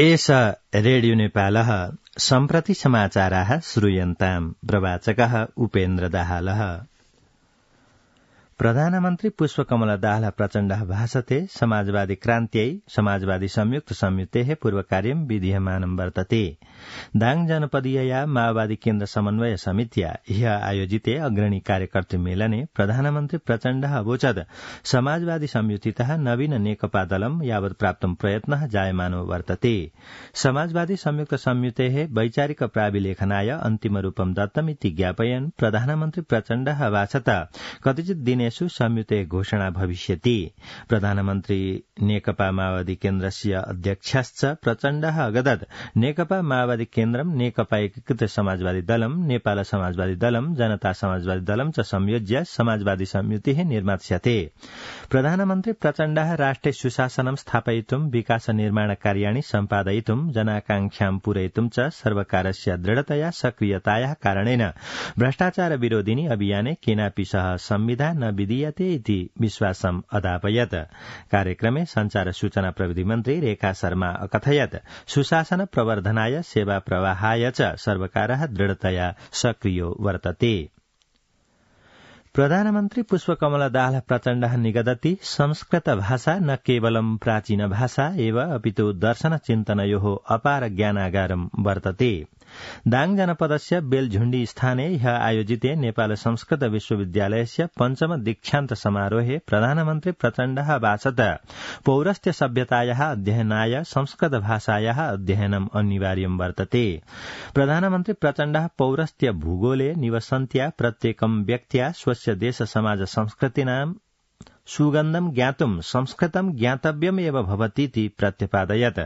एष रेडियो नेपालः सम्प्रति समाचाराः श्रूयन्ताम्। प्रवाचकः उपेन्द्र दाहालः। प्रधानमन्त्री पुष्पकमल दाहाल प्रचण्डः भाषते समाजवादी क्रान्त्यै समाजवादी संयुक्त संयुतेः पूर्वकार्यं विधीयमानं वर्तते। दाङ जनपदीयया माओवादी केन्द्र समन्वय समित्या ह्य आयोजिते अग्रणी कार्यकर्तृ मेलने प्रधानमन्त्री प्रचण्डः अवोचत् समाजवादी संयुतितः नवीन नेकपा दलं यावत् प्राप्तं प्रयत्नः जायमानो वर्तते। समाजवादी संयुक्त संयुतेः वैचारिक प्राविलेखनाय अन्तिमरूपं दत्तमिति ज्ञापयन् प्रधानमन्त्री प्रचण्डः अभाषत कतिचित् दिने संयुते घोषणा भविष्यति। प्रधानमन्त्री नेकपा माओवादी केन्द्रस्य अध्यक्षश्च प्रचण्डः अगदत् नेकपा माओवादी केन्द्रं नेकपा एकीकृत समाजवादी दलं नेपाल समाजवादी दलं जनता समाजवादी दलं च संयोज्य समाजवादी संयुतिः निर्मास्यते। प्रधानमन्त्री प्रचण्डः राष्ट्रिय सुशासनं स्थापयितुं विकास निर्माण कार्याणि सम्पादयितुं जनाकांक्षां पूरयितुं च सर्वकारस्य दृढतया सक्रियतायाः कारणेन भ्रष्टाचार विरोधिनी अभियाने केनापि सह संविधान न विधीयते इति विश्वासम् अदापयत्। कार्यक्रमे संचार सूचना प्रविधि मन्त्री रेखा शर्मा अकथयत् सुशासन प्रवर्धनाय सेवा प्रवाहाय च सर्वकारः दृढतया सक्रियो वर्तते। प्रधानमन्त्री पुष्पकमल दाहाल प्रचण्डः निगदति संस्कृत भाषा न केवलं प्राचीन भाषा एव अपितु दर्शन चिन्तनयोः अपार ज्ञानागारं वर्तते। दाङ जनपदस्य बेलझुण्डी स्थाने ह्य आयोजिते नेपाल संस्कृत विश्वविद्यालयस्य पञ्चम दीक्षान्त समारोहे प्रधानमन्त्री प्रचण्डः अभाषत पौरस्त्य सभ्यतायाः अध्ययनाय संस्कृत भाषायाः अध्ययनम् अनिवार्यं वर्तते। प्रधानमन्त्री प्रचण्डः पौरस्त्य भूगोले निवसन्त्या प्रत्येकं व्यक्त्या स्वस्य देश समाज संस्कृतीनां सुगन्धं ज्ञातुं संस्कृतं ज्ञातव्यमेव भवतीति प्रत्यपादयत्।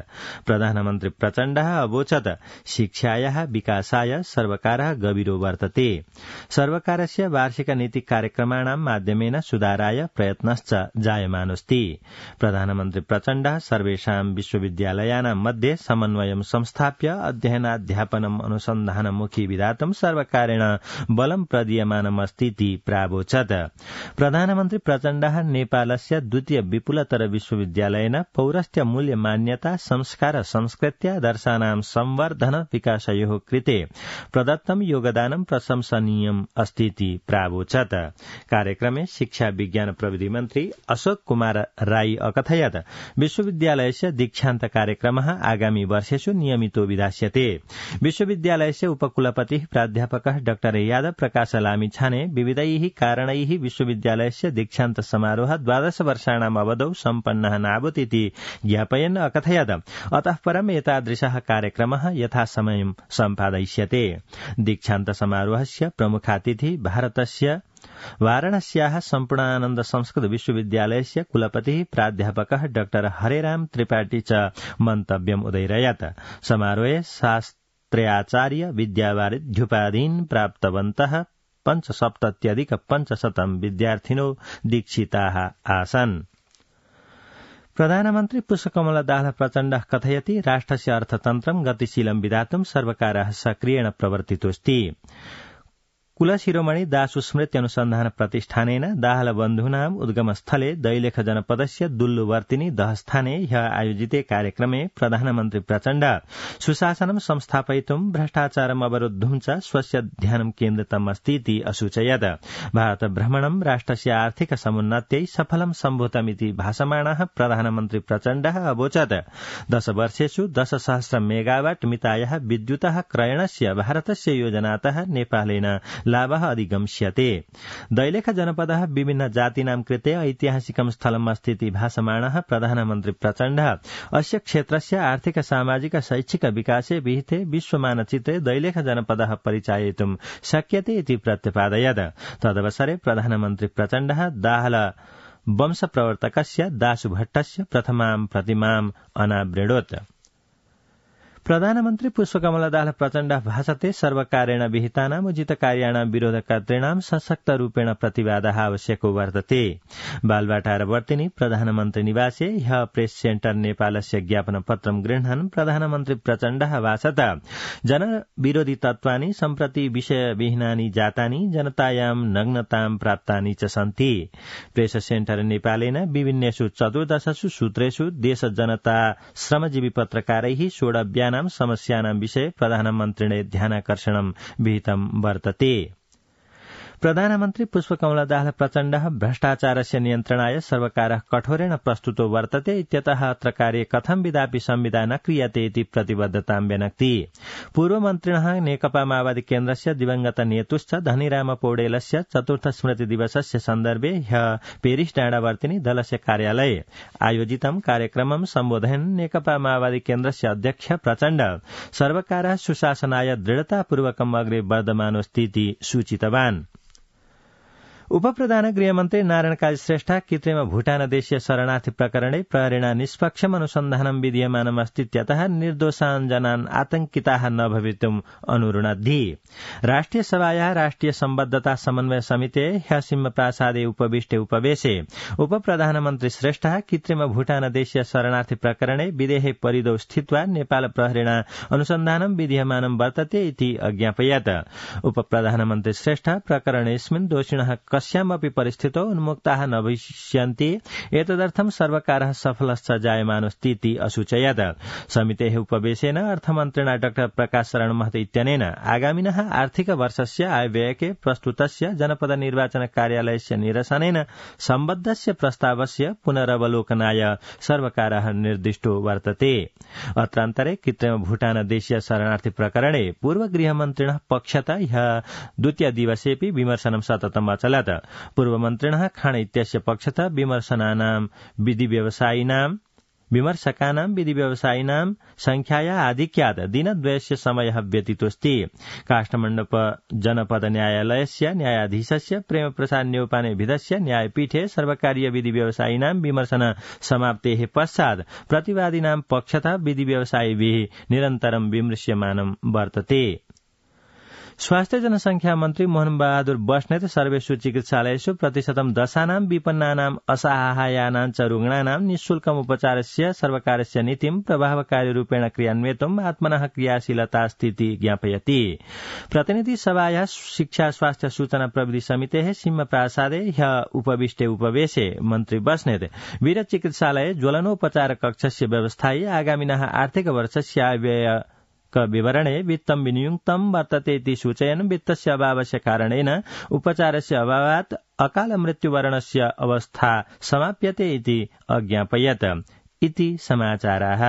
प्रधानमन्त्री प्रचण्डः अवोचत् शिक्षायाः विकासाय सर्वकारः गभीरो वर्तते। सर्वकारस्य वार्षिक नीति कार्यक्रमाणां माध्यमेन सुधाराय प्रयत्नश्च जायमानोऽस्ति। प्रधानमन्त्री प्रचण्डः सर्वेषां विश्वविद्यालयानां मध्ये समन्वयं संस्थाप्य अध्ययनाध्यापनम् अनुसन्धानमुखी विधातुं सर्वकारेण बलं प्रदीयमानमस्तीति प्रावोचत्। प्रधानमन्त्री प्रचण्डः नेपालस्य द्वितीय विपुलतर विश्वविद्यालयेन पौरस्त्य मूल्य मान्यता संस्कार संस्कृत्या दर्शानां संवर्धन विकासयोः कृते प्रदत्तं योगदानं प्रशंसनीयम् अस्तीति प्रावोचत्। कार्यक्रमे शिक्षा विज्ञान प्रविधि मन्त्री अशोक कुमार राई अकथयत् विश्वविद्यालयस्य दीक्षान्त कार्यक्रमः आगामी वर्षेषु नियमितो विधास्यते। विश्वविद्यालयस्य उपकुलपतिः प्राध्यापकः डाक्टर यादव प्रकाश लामिछाने विविधैः कारणैः विश्वविद्यालयस्य दीक्षान्त समारोह 12 वर्षाणाम् अवधौ सम्पन्नः नाभूतिति ज्ञापयन् अकथयत् अतः परम् एतादृशः कार्यक्रमः यथासमयं सम्पादयिष्यते। दीक्षान्त समारोहस्य प्रमुखातिथिः भारतस्य वाराणस्याः सम्पूर्णानन्द संस्कृत विश्वविद्यालयस्य कुलपतिः प्राध्यापकः डाक्टर हरेराम त्रिपाठी च मन्तव्यम् उदैरयत्। समारोहे शास्त्र्याचार्य विद्यावारिध्युपाधीन् प्राप्तवन्तः 75,500 विद्यार्थिनो दीक्षिताः आसन्। प्रधानमन्त्री पुष्पकमल दाहाल प्रचण्डः कथयति राष्ट्रस्य अर्थतन्त्रं गतिशीलं विधातुं सर्वकारः सक्रियेण प्रवर्तितोऽस्ति। कुलशिरोमणि दासु स्मृति अनुसन्धान प्रतिष्ठानेन दाहाल बन्धूनाम् उद्गमस्थले दैलेख जनपदस्य दुल्लुवर्तिनी दहस्थाने ह्य आयोजिते कार्यक्रमे प्रधानमन्त्री प्रचण्ड सुशासनं संस्थापयितुं भ्रष्टाचारम् अवरोद्धुं च स्वस्य ध्यानं केन्द्रितम् अस्तीति असूचयत्। भारत भ्रमणं राष्ट्रस्य आर्थिक समुन्नत्यै सफलं सम्भूतमिति भाषमाणः प्रधानमन्त्री प्रचण्डः अवोचत् 10 वर्षेषु 10,000 मेगावाट मितायाः विद्युतः क्रयणस्य भारतस्य योजनातः नेपालेन लाभः अधिगम्स्यते। दैलेख जनपदः विभिन्न जातीनां कृते ऐतिहासिकं स्थलम् अस्तीति भाषमाणः प्रधानमन्त्री प्रचण्डः अस्य क्षेत्रस्य आर्थिक सामाजिक शैक्षिक विकासे विहिते विश्वमानचित्रे दैलेख जनपदः परिचाययितुं शक्यते इति प्रत्यपादयत्। तदवसरे प्रधानमन्त्री प्रचण्डः दाहाल वंश प्रवर्तकस्य दासु भट्टस्य प्रथमां प्रतिमाम् अनावृणोत्। प्रधानमन्त्री पुष्पकमल दाहाल प्रचण्डः भाषते सर्वकारेण विहितानाम् उचितकार्याणां विरोधकर्तॄणां सशक्तरूपेण प्रतिवादः आवश्यको वर्तते। बालवाटारवर्तिनि प्रधानमन्त्री निवासे ह्यः प्रेस सेन्टर नेपालस्य ज्ञापनपत्रं गृह्णन् प्रधानमन्त्री प्रचण्डः भाषत जनविरोधी तत्त्वानि सम्प्रति विषयविहीनानि जातानि जनतायां नग्नतां प्राप्तानि च सन्ति। प्रेस सेन्टर नेपालेन विभिन्नेषु 14 सूत्रेषु देश जनता श्रमजीवी पत्रकारैः सोढव्यानां समस्यानां विषये प्रधानमन्त्रिणे ध्यानाकर्षणं विहितं वर्तते। प्रधानमन्त्री पुष्पकमल दाहाल प्रचण्डः भ्रष्टाचारस्य नियन्त्रणाय सर्वकारः कठोरेण प्रस्तुतो वर्तते इत्यतः अत्र कार्ये कथं विधापि संविदा न क्रियते इति प्रतिबद्धतां व्यनक्ति। पूर्वमन्त्रिणः नेकपा माओवादी केन्द्रस्य दिवंगत नेतुश्च धनीराम पौडेलस्य 4th स्मृति दिवसस्य सन्दर्भे ह्यः पेरिस डाँडावर्तिनि दलस्य कार्यालये आयोजितं कार्यक्रमं सम्बोधयन् नेकपा माओवादी केन्द्रस्य अध्यक्ष प्रचण्ड सर्वकारः सुशासनाय दृढतापूर्वकम् अग्रे वर्धमानोऽस्ति इति सूचितवान्। उपप्रधान गृहमन्त्री नारायण काजी श्रेष्ठ कृत्रिम भूटानदेशीय शरणार्थी प्रकरणे प्रहरीणा निष्पक्षम अनुसन्धानं विधीयमानमस्तीत्यतः निर्दोषान् जनान् आतंकिताः न भवितुम् अनुरुणद्धि। राष्ट्रिय सभायाः राष्ट्रिय सम्बद्धता समन्वय समिते ह्यः सिंहप्रासादे उपविष्टे उपवेशे उपप्रधानमन्त्री श्रेष्ठः कृत्रिम भूटानदेशीय शरणार्थी प्रकरणे विदेहे परिदौ स्थित्वा नेपाल प्रहरीणा अनुसन्धानं विधीयमानं वर्तते इति अज्ञापयत्। उपप्रधानमन्त्री श्रेष्ठ प्रकरणेऽस्मिन् दोषिणः कस्यामपि परिस्थितौ उन्मुक्ताः न भविष्यन्ति एतदर्थं सर्वकारः सफलश्च जायमानोऽस्ति इति असूचयत्। समितेः उपवेशेन अर्थमन्त्रिणा डॉ प्रकाश शरण महतो इत्यनेन आगामिनः आर्थिक वर्षस्य आयव्ययके प्रस्तुतस्य जनपद निर्वाचन कार्यालयस्य निरसनेन सम्बद्धस्य प्रस्तावस्य पुनरवलोकनाय सर्वकारः निर्दिष्टो वर्तते। अत्रान्तरे कृत्रिम भूटानदेशीय शरणार्थी प्रकरणे पूर्व गृहमन्त्रिणः पक्षतः ह्यः द्वितीय दिवसेऽपि विमर्शनं सततम् अचलत्। पूर्वमन्त्रिणः खाण इत्यस्य पक्षतः विमर्शकानां विधिव्यवसायिनां संख्याया आधिक्यात् दिनद्वयस्य समयः व्यतीतोऽस्ति। काष्ठमण्डप जनपद न्यायालयस्य न्यायाधीशस्य प्रेमप्रसाद न्यौपानेभिधस्य न्यायपीठे सर्वकारीय विधिव्यवसायिनां विमर्शन समाप्तेः पश्चात् प्रतिवादिनां पक्षतः विधिव्यवसायिभिः निरन्तरं विमृश्यमानं वर्तते। स्वास्थ्य जनसंख्या मन्त्री मोहन बहादुर बस्नेत सर्वेषु चिकित्सालयेषु प्रतिशतं दशानां विपन्नानाम् असहायानां च रुग्णानां निःशुल्कम् उपचारस्य सर्वकारस्य नीतिं प्रभावकारीरूपेण क्रियान्वयितुम् आत्मनः क्रियाशीलतास्ति इति ज्ञापयति। प्रतिनिधि सभायाः शिक्षा स्वास्थ्य सूचना प्रविधि समितेः सिंहप्रासादे ह्यः उपविष्टे उपवेशे मन्त्री बस्नेत वीर चिकित्सालये ज्वलनोपचार कक्षस्य व्यवस्थायै आगामिनः आर्थिक वर्षस्य आयव्यय विवरणे वित्तं विनियुक्तं वर्तते इति सूचयन् वित्तस्य अभावस्य कारणेन उपचारस्य अभावात् अकाल मृत्युवरणस्य अवस्था समाप्यते इति अज्ञापयत्। इति समाचाराः।